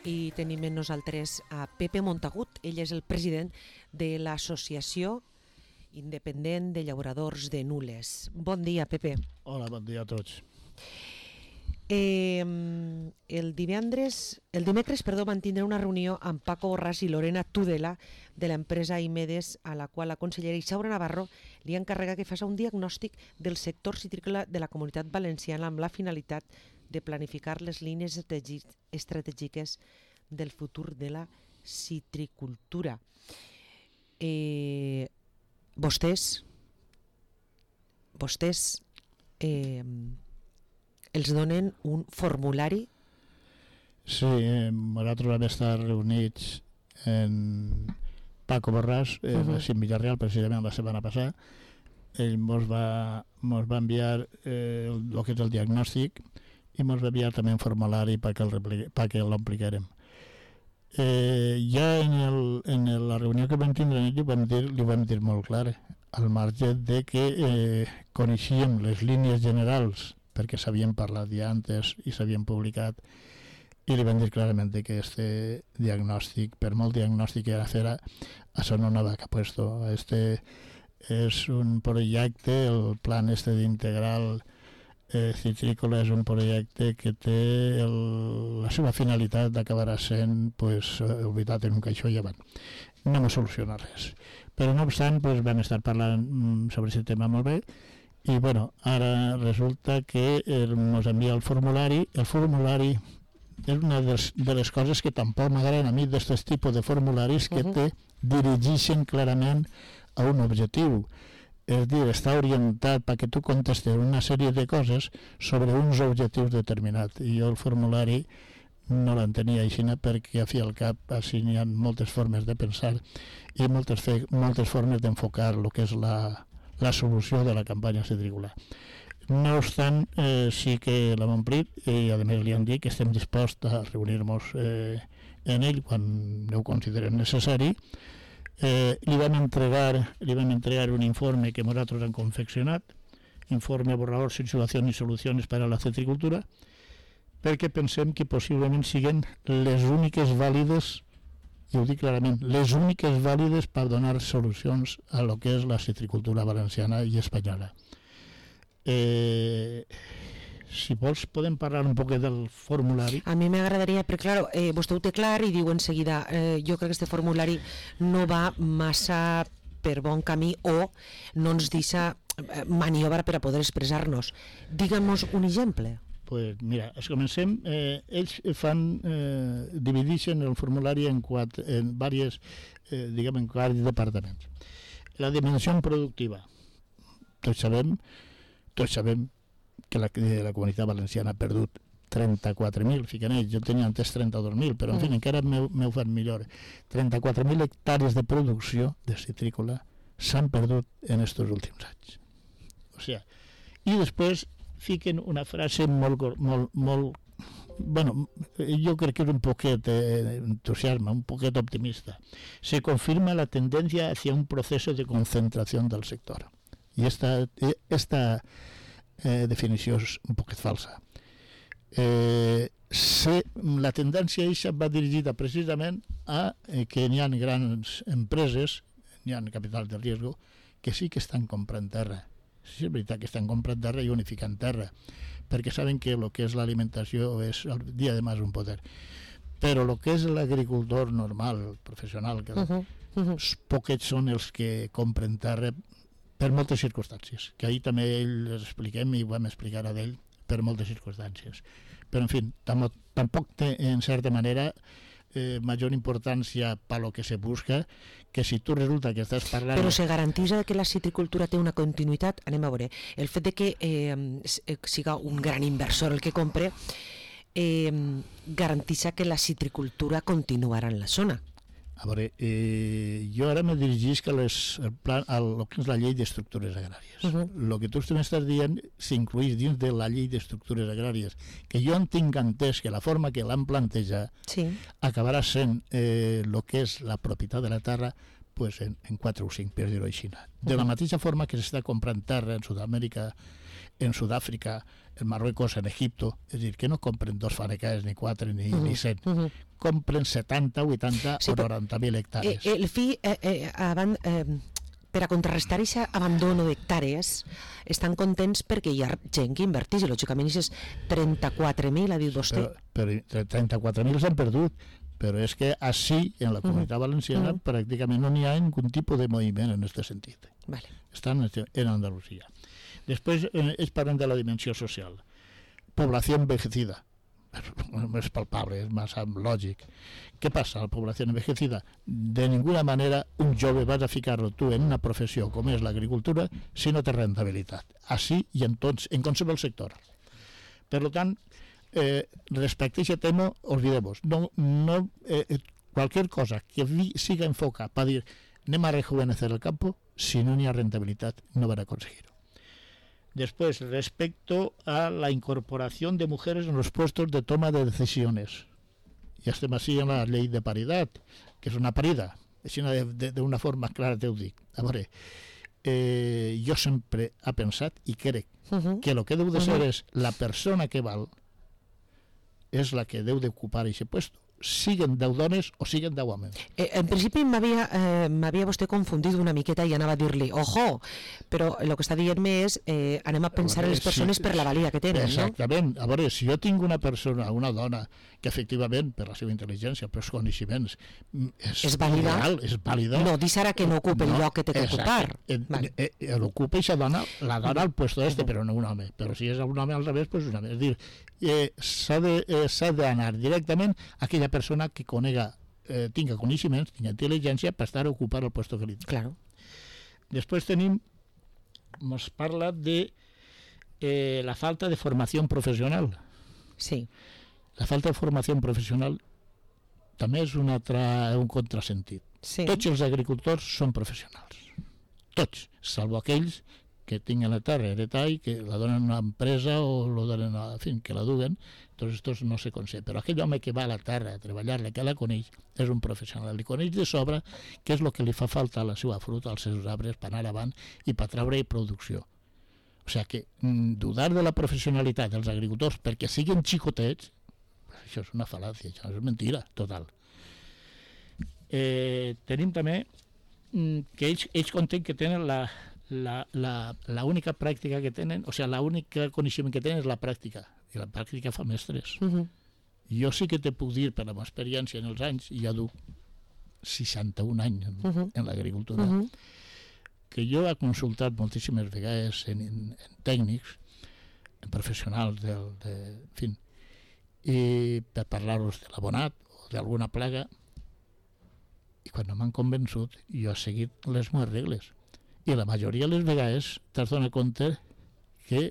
i tenim amb nosaltres a Pepe Montagut. Ell és el president de l'Associació Independent de Llauradors de Nules. Bon dia, Pepe. Hola, bon dia a tots. El dimecres van tindre una reunió amb Paco Borràs i Lorena Tudela de l'empresa Imedes, a la qual la consellera Isaura Navarro li encarrega que faci un diagnòstic del sector citrícola de la Comunitat Valenciana amb la finalitat de planificar les línies estratègiques del futur de la citricultura. Vostès els donen un formulari? Sí, nosaltres vam estar reunits en Paco Borràs, a Cim Villarreal, precisament la setmana passada. Ell mos va enviar el que és el diagnòstic i mos va enviar també un formulari perquè l'ompliguérem. Ja en la reunió que vam tindre li vam dir molt clar, al marge de que coneixíem les línies generals perquè s'havien parlat ja antes i s'havien publicat, i li vam dir clarament que este diagnòstic, per molt diagnòstic que era, això no anava a cap puesto. Este és un projecte, el plan d'integral citrícola és un projecte que té la seva finalitat d'acabar sent oblidat en un caixó i avant. No me soluciona res. Però no obstant, vam estar parlant sobre aquest tema molt bé. I ara resulta que ens envia el formulari. El formulari és una de les coses que tampoc m'agraden a mi d'aquest tipus de formularis, que te dirigeixen clarament a un objectiu. És dir, està orientat perquè tu contestes una sèrie de coses sobre uns objectius determinats. I jo el formulari no l'entenia així, perquè a fi al cap així hi ha moltes formes de pensar i moltes formes d'enfocar el que és la solució de la campanya citrícola. No obstant, sí que l'hem omplit i a més li han dit que estem disposats a reunir-nos en ell quan ho considerem necessari. Li vam entregar un informe que nosaltres hem confeccionat, informe borrador situacions i solucions per a la citricultura, perquè pensem que possiblement siguin les úniques vàlides, i ho dic clarament, les úniques vàlides per donar solucions a lo que és la citricultura valenciana i espanyola. Si vols podem parlar un poc del formulari. A mi m'agradaria, perquè clar, vostè ho té clar i diu en seguida, jo crec que aquest formulari no va massa per bon camí o no ens deixa maniobra per a poder expressar-nos. Digue'm-nos un exemple. Pues mira, comencem. Ells divideixen el formulari en diversos departaments. La dimensió productiva. Tots sabem que la Comunitat Valenciana ha perdut 34.000, fiquen ells, jo tenia antes 32.000, però en fi, encara m'ho fan millor. 34.000 hectàrees de producció de citrícola s'han perdut en aquests últims anys. O sigui, i després fiquen una frase jo crec que és un poquet entusiasme, un poquet optimista. Se confirma la tendencia hacia un proceso de concentración del sector. Y esta definició és un poquet falsa. La tendència aquesta va dirigida precisament a que hi ha grans empreses, hi ha capital de riesgo, que sí que estan comprant terra. Sí, és veritat que estan comprant terra i unificant terra, perquè saben que el que és l'alimentació és el dia de més un poder. Però el que és l'agricultor normal, professional, que poquets són els que compren terra per moltes circumstàncies, que ahir també els expliquem i ho vam explicar a ell per moltes circumstàncies. Però, en fi, tampoc té, en certa manera, major importància per lo que se busca, que si tu resulta que estàs parlant... Però se garantitza que la citricultura té una continuïtat? Anem a veure, el fet de que siga un gran inversor el que compre garantitza que la citricultura continuarà en la zona. A veure, jo ara me dirigisc a lo que és la llei d'estructures agràries. El que tu m'estàs dient s'incluïs dins de la llei d'estructures agràries, que jo en tinc entès que la forma que l'han plantejat acabarà sent el que és la propietat de la terra en 4 o 5, per dir-ho així. De la mateixa forma que s'està comprant terra en Sud-amèrica en Sud-àfrica, en Marruecos, en Egipto, és a dir, que no compren 2 fanecaes, ni 4, ni 100, compren 70, 80 o 90.000 hectàrees. El fi, per a contrarrestar aquest abandono d'hectàrees, estan contents perquè hi ha gent que inverteix, i lògicament aquestes 34.000, ha dit vostè. Però 34.000 s'han perdut, però és que així, en la Comunitat Valenciana, pràcticament no n'hi ha ningun tipus de moviment en aquest sentit. Vale. Estan en Andalusia. Després ells parlen de la dimensió social. Població envejecida. És palpable, és massa lògic. Què passa a la població envejecida? De ninguna manera un jove vas a ficar-lo tu en una professió com és l'agricultura si no té rentabilitat. Així i en qualsevol sector. Per tant, respecte a aquest tema, olvidemos. Cualquier cosa que siga enfoca para dir anem a rejuvenecer el campo, si no n'hi ha rentabilitat, no van a conseguir-ho. Después, respecto a la incorporación de mujeres en los puestos de toma de decisiones. Ja estem així en la llei de paritat, que és una parida, així d'una forma clara te ho dic. A veure, jo sempre he pensat i crec que el que deu de ser és la persona que val és la que deu d'ocupar aquest puesto, siguen 10 dones o siguen 10 homes. En principi m'havia vostè confundit una miqueta i anava a dir-li, ojo, però el que està dient-me és anem a pensar en les persones per la valia que tenen, no? Exactament. A veure, si jo tinc una persona, una dona, que efectivament, per la seva intel·ligència, per els coneixements, és vàlida. No, dis ara que no ocupa el lloc que té que ocupar. L'ocupa aquesta dona, la dona al puesto però no un home. Però si és un home al revés, doncs un home. És dir, s'ha d'anar directament a aquella persona que tinga coneixements, tinga intel·ligència per estar a ocupar el puesto que li té. Claro. Després ens parla de la falta de formació professional. Sí. La falta de formació professional també és un contrasentit. Sí. Tots els agricultors són professionals. Tots, salvo aquells que tinguen la terra heretada i que la donen a una empresa o lo donen a, en fin, que la duguen, doncs estos no se concep. Però aquell home que va a la terra a treballar-la, que la coneix, és un professional. Li coneix de sobre què és el que li fa falta a la seva fruita, als seus arbres, per anar avant i per treure producció. O sigui que dudar de la professionalitat dels agricultors perquè siguin xicotets, això és una fal·làcia, això és mentira total. Tenim també que ells conten que tenen l'única pràctica que tenen, o sigui, l'únic coneixement que tenen és la pràctica, i la pràctica fa mestres. Jo sí que te puc dir, per la meva experiència en els anys, i ja duc 61 anys en l'agricultura, que jo he consultat moltíssimes vegades en tècnics, en professionals en fi, i per parlar-los de l'abonat o d'alguna plaga, i quan no m'han convençut jo he seguit les meves regles, i la majoria de les vegades t'has donat compte que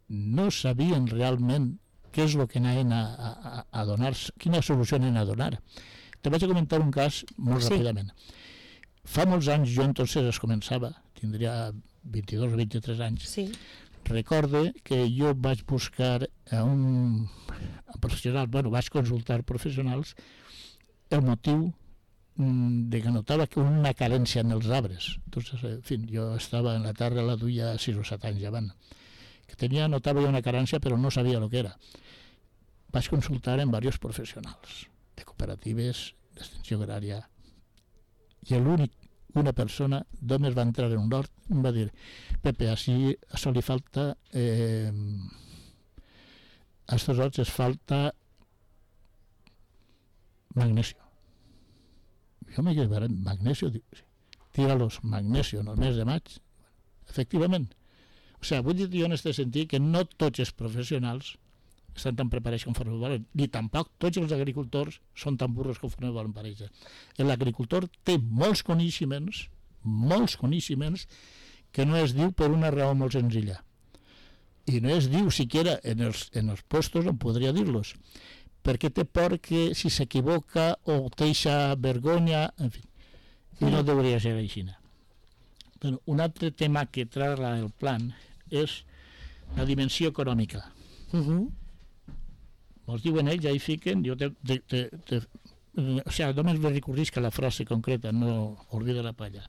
no sabien realment què és el que anaven a donar, quina solució anaven a donar. Te vaig a comentar un cas molt ràpidament. Fa molts anys, jo entonces es començava, tindria 22 o 23 anys, recorde que jo vaig buscar a un professional, vaig consultar professionals, el motiu de que notava que una carència en els arbres. Entonces, en fin, jo estava en la terra, la duia 6 o 7 anys abans, que notava una carència però no sabia el que era. Vaig consultar en diversos professionals de cooperatives, d'extensió agrària, i una persona només va entrar en un hort i em va dir: Pepe, a això li falta a estos horts es falta magnesio. Jo me quedé veient magnesio, tira-los magnesio en el mes de maig. Efectivament. O sigui, vull dir jo en aquest sentit que no tots els professionals estan tan preparats conforme volen, ni tampoc tots els agricultors són tan burros conforme volen parèixer. L'agricultor té molts coneixements que no es diu per una raó molt senzilla. I no es diu siquiera en els puestos on podria dir-los, perquè té por que si s'equivoca o té eixa vergonya, en fi, i no hauria ser així. Bueno, un altre tema que tracta el plan és la dimensió econòmica. Mos diuen ells, ja hi fiquen, o sigui, només me recordis que la frase concreta, no olvida la palla.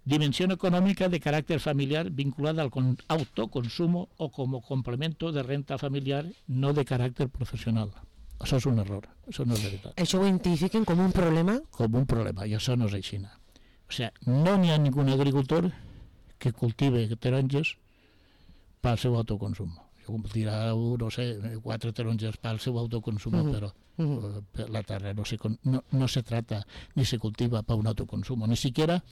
Dimensión económica de carácter familiar vinculada al autoconsumo o como complemento de renta familiar no de carácter professional. Això és un error, això no és veritat. Això ho identifiquen com un problema? Com un problema, i això no és així. O sigui, no n'hi ha ningú agricultor que cultive taronges pel seu autoconsum. Cultivarà, no sé, 4 taronges pel seu autoconsum, però la terra no se trata ni se cultiva para un autoconsumo, ni siquiera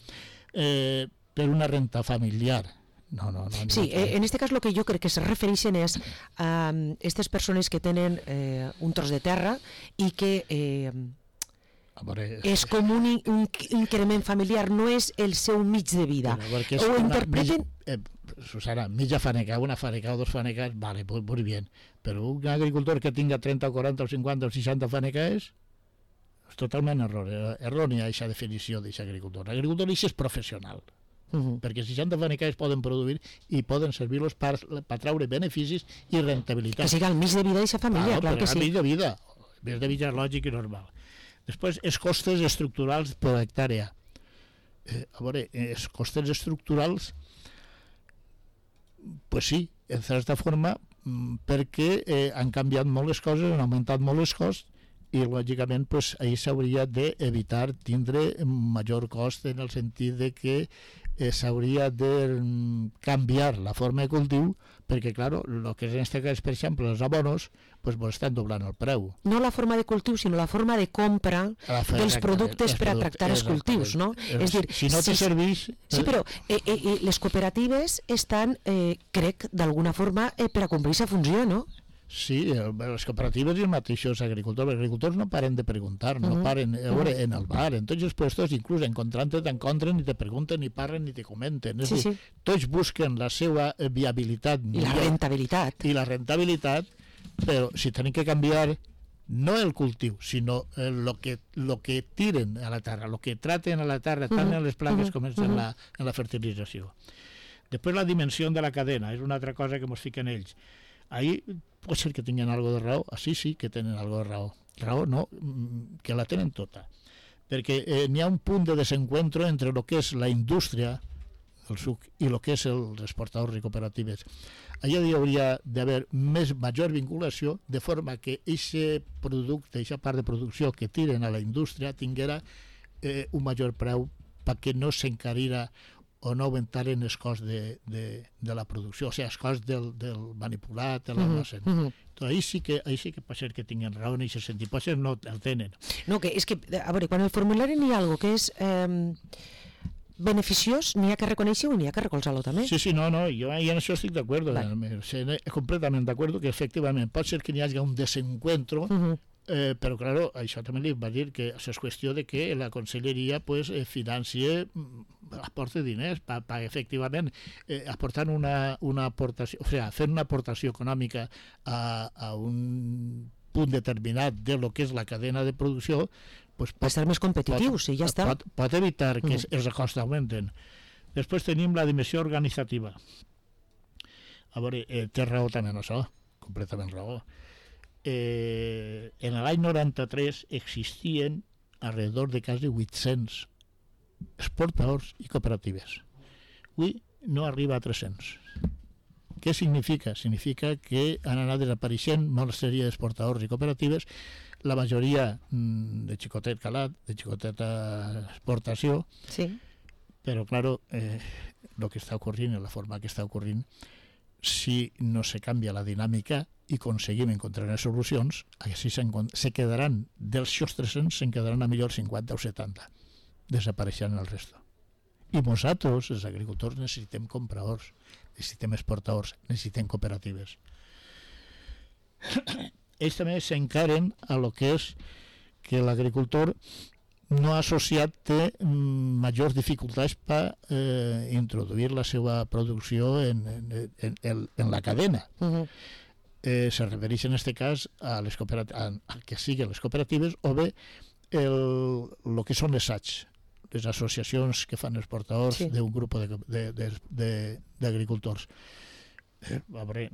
per una renta familiar. No. Sí, en este cas el que jo crec que se refereixen és a aquestes persones que tenen un tros de terra i que és com un increment familiar, no és el seu mig de vida. Ho interpreten... Susana, mitja faneca, una faneca o dos faneques, vale, muy bien, però un agricultor que tinga 30 o 40 o 50 o 60 faneques és totalment errònia aquesta definició d'aquest agricultor. L'agricultor és professional, perquè 60 faneques poden produir i poden servir-los per traure beneficis i rentabilitat. Que siga el mig de vida d'aquesta família, clar que sí. Mig de vida lògic i normal. Després, els costes estructurals per hectàrea. A veure, els costes estructurals, pues sí, en certa forma, perquè han canviat molt les coses, han augmentat molt els costs, i lògicament pues, ahir s'hauria d'evitar tindre major cost en el sentit de que s'hauria de canviar la forma de cultiu, perquè, clar, el que en aquest cas, per exemple, els abonos, pues, estan doblant el preu. No la forma de cultiu, sinó la forma de compra dels productes per a tractar els cultius, no? És dir, si no te serveix... Sí, però les cooperatives estan, crec, d'alguna forma, per a complir aquesta funció, no? Sí, les cooperatives i els mateixos agricultors. Els agricultors no paren de preguntar, no paren a veure, en el bar, en tots els puestos, inclús encontrant-te, t'encontren i te pregunten, i parlen i te comenten. És dir, tots busquen la seva viabilitat. I la rentabilitat. I la rentabilitat, però si tenen que canviar no el cultiu, sinó lo que tiren a la terra, lo que traten a la terra, tant en les plagues com en la fertilització. Després la dimensió de la cadena, és una altra cosa que ens fiquen ells. Ahí pot ser que tinguin algo de raó, sí que tenen algo de raó. Raó no, que la tenen tota. Perquè n'hi ha un punt de desencuentro entre el que és la indústria, el suc, i el que és els exportadors i cooperatives. Allà hi hauria d'haver major vinculació, de forma que aquest producte, aquesta part de producció que tiren a la indústria tinguera un major preu perquè no s'encarira o no augmentaren els costs de la producció, o sigui, els costs del manipulat, de l'almacén. Ahí sí que pot ser que tinguin raó en aquest sentit, pot ser no el tenen. No, que és que, a veure, quan el formulari n'hi ha alguna que és beneficiós, n'hi ha que reconèixer-ho i n'hi ha que recolzar-lo també. Sí, no, jo en això estic d'acord, completament d'acord, que efectivament pot ser que n'hi hagi un desencuentro, però, claro, això també li va dir que això és qüestió de que la conselleria financie, aporte diners per efectivament aportant una aportació, o sigui, fent una aportació econòmica a un punt determinat de lo que és la cadena de producció, per ser més competitius, i ja està. Pot evitar que els costos augmenten. Després tenim la dimensió organitzativa. A veure, té raó també en això, completament raó. En l'any 93 existien alrededor de quasi 800 exportadors i cooperatives. Avui no arriba a 300. Què significa? Significa que han anat desapareixent una sèrie d'exportadors i cooperatives, la majoria de xicotet calat, de xicoteta exportació, però, claro, el que està ocorrint, la forma que està ocorrint, si no se canvia la dinàmica i aconseguim encontrar les solucions, així se quedaran, dels 300, se'n quedaran a millor 50 o 70. Desapareixeran el resto. I nosaltres, els agricultors, necessitem compradors, necessitem exportadors, necessitem cooperatives. Ells també s'encaren a lo que és que l'agricultor no associat té majors dificultats per introduir la seva producció en la cadena. Se refereix en aquest cas a que siguin les cooperatives o bé el que són les SACs, les associacions que fan els portadors d'un grup d'agricultors. A veure,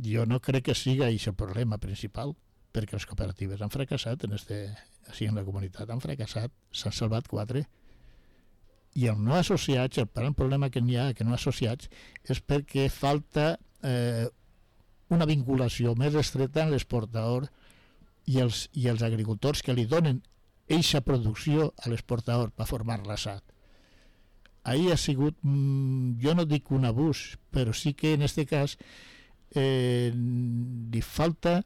jo no crec que sigui aquest el problema principal, perquè les cooperatives han fracassat en la comunitat, han fracassat, s'han salvat 4 I els no associats, el gran problema que n'hi ha que no associats és perquè falta una vinculació més estreta en l'exportador i els agricultors que li donen eixa producció a l'exportador per formar l'assat. Ahí ha sigut, jo no dic un abús, però sí que en aquest cas li falta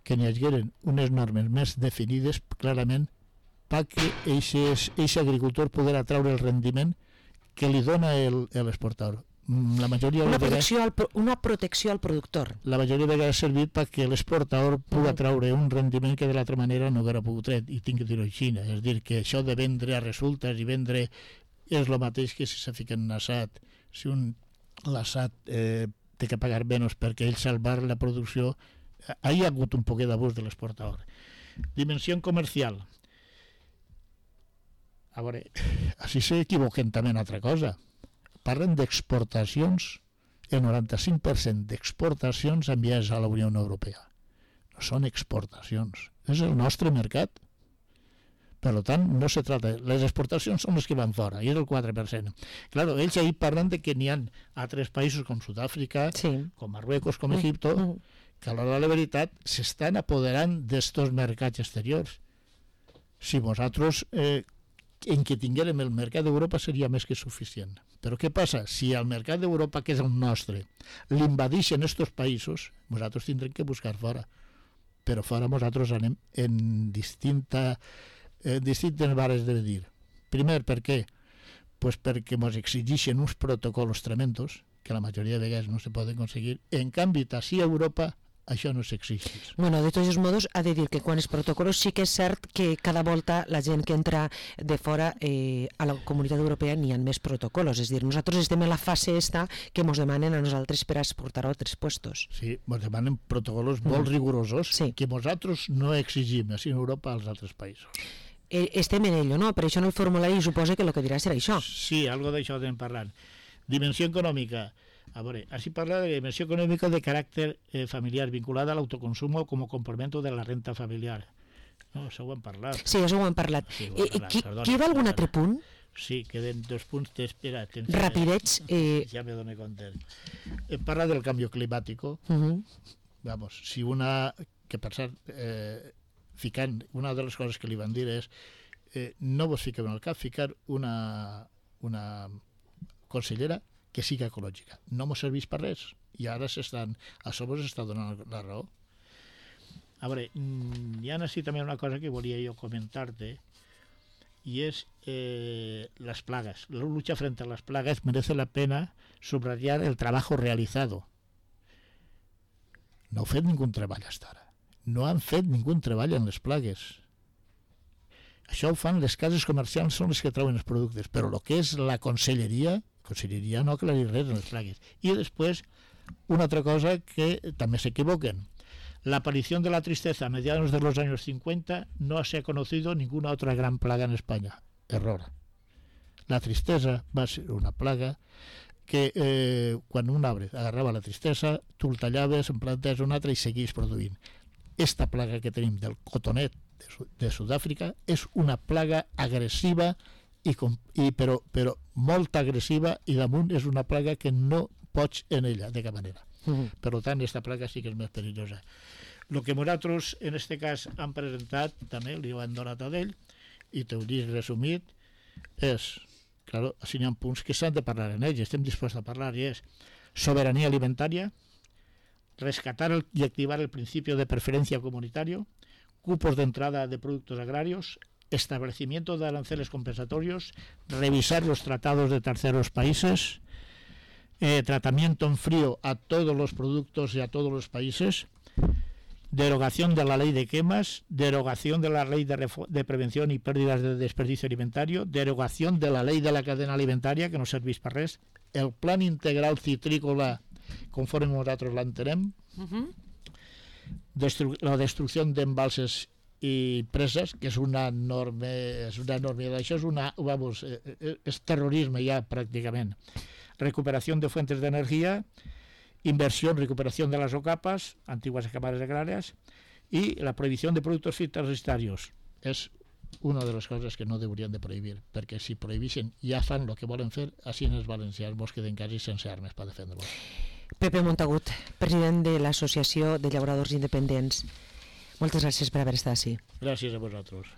que n'hi hagueren unes normes més definides clarament perquè eixe agricultor poder atraure el rendiment que li dona l'exportador. La majoria una protecció al productor. La majoria de vegades ha servit perquè l'exportador pugui treure un rendiment que de l'altra manera no hauria pogut treure, i tinc que dir-ho així. És dir, que això de vendre a resultes i vendre és el mateix que si se fica en un assat. Si l'assat té que pagar menys perquè ell salvar la producció, hi ha hagut un poquet d'abús de l'exportador. Dimensió comercial. A veure, així s'equivoquen també en altra cosa. Parlen d'exportacions, el 95% d'exportacions enviades a la Unió Europea. No són exportacions, és el nostre mercat. Per tant, no se trata... Les exportacions són les que van fora, i és el 4%. Claro, ells ahir parlen de que n'hi ha altres països com Sud-àfrica, com Marruecos, com Egipto, que a l'hora de la veritat s'estan apoderant d'estos mercats exteriors. Si nosaltres, en que tinguérem el mercat d'Europa seria més que suficient. Però què passa? Si el mercat d'Europa, que és el nostre, l'invadixen estos països, nosaltres tindrem que buscar fora. Però fora nosaltres anem en distintes vares de dir. Primer, per què? Pues perquè ens exigeixen uns protocols tremendos que la majoria de vegades no se poden aconseguir. En canvi, així a Europa això no s'exigeix. Bueno, de tots els modos, ha de dir que quan els protocols sí que és cert que cada volta la gent que entra de fora a la Comunitat Europea n'hi ha més protocols. És a dir, nosaltres estem en la fase esta que ens demanen a nosaltres per exportar a altres puestos. Sí, ens demanen protocols molt rigorosos que nosaltres no exigim així en Europa als altres països. Estem en ello, no? Per això en el formulari suposa que el que dirà serà això. Sí, algo d'això estem parlant. Dimensió econòmica. A veure, així parla de dimensió econòmica de caràcter familiar vinculada a l'autoconsumo com a complemento de la renta familiar. No, això ho hem parlat. Sí, això ho hem parlat. Queda algun altre punt? Sí, queden 2 punts. Espera, rapidets. Ja me dono compte. Parla del canvi climàtic. Vamos, si una... Que per cert, ficant... Una de les coses que li van dir és no vos fiqueu en el cap ficar una consellera que sigui ecològica. No m'ho serveix per res. I ara a sobre s'està donant la raó. A veure, hi ha així també una cosa que volia jo comentar-te, i és les plagues. La lucha frente a las plagas merece la pena subrayar el trabajo realizado. No heu fet ningú treball fins ara. No han fet ningú treball en les plagues. Això ho fan les cases comercials, són les que treuen els productes, però el que és la conselleria no aclarir res en les plagues. I després, una altra cosa que també s'equivoquen. La aparición de la tristeza a mediados de los años 50 no se ha conocido ninguna otra gran plaga en España. Error. La tristesa va ser una plaga que quan un arbre agarrava la tristesa, tu el tallaves, en plantes un altre i seguís produint. Esta plaga que tenim del cotonet de Sud-àfrica és una plaga agressiva però molt agressiva, i damunt és una plaga que no pots en ella de cap manera. Per tant, aquesta plaga sí que és més perillosa. El que nosaltres en aquest cas hem presentat, també li ho han donat a ell, i t'ho dic resumit, és, claro, així n'hi ha punts que s'han de parlar en ells, estem disposats a parlar, i és soberanía alimentaria, rescatar y activar el principio de preferencia comunitario, cupos de entrada de productos agrarios, establecimiento de aranceles compensatorios, revisar los tratados de terceros países, tratamiento en frío a todos los productos y a todos los países, derogación de la ley de quemas, derogación de la ley de prevención y pérdidas de desperdicio alimentario, derogación de la ley de la cadena alimentaria, que no serveix per res, el plan integral citrícola, conforme nosaltres l'entenem, la destrucció d'embalses i preses, que és una enorme, això és terrorisme ja pràcticament. Recuperación de fuentes de energía, inversión, recuperación de las OCAPAs, antiguas cámaras agrarias, y la prohibición de productos fitosanitarios. Es una de les coses que no haurien de prohibir, perquè si prohibissin ja fan el que volen fer, així els valencians vos queden quasi sense armes per defendre-vos. Pepe Montagut, president de l'Associació de Llauradors Independents. Moltes gràcies per haver estat així. Gràcies a vosaltres.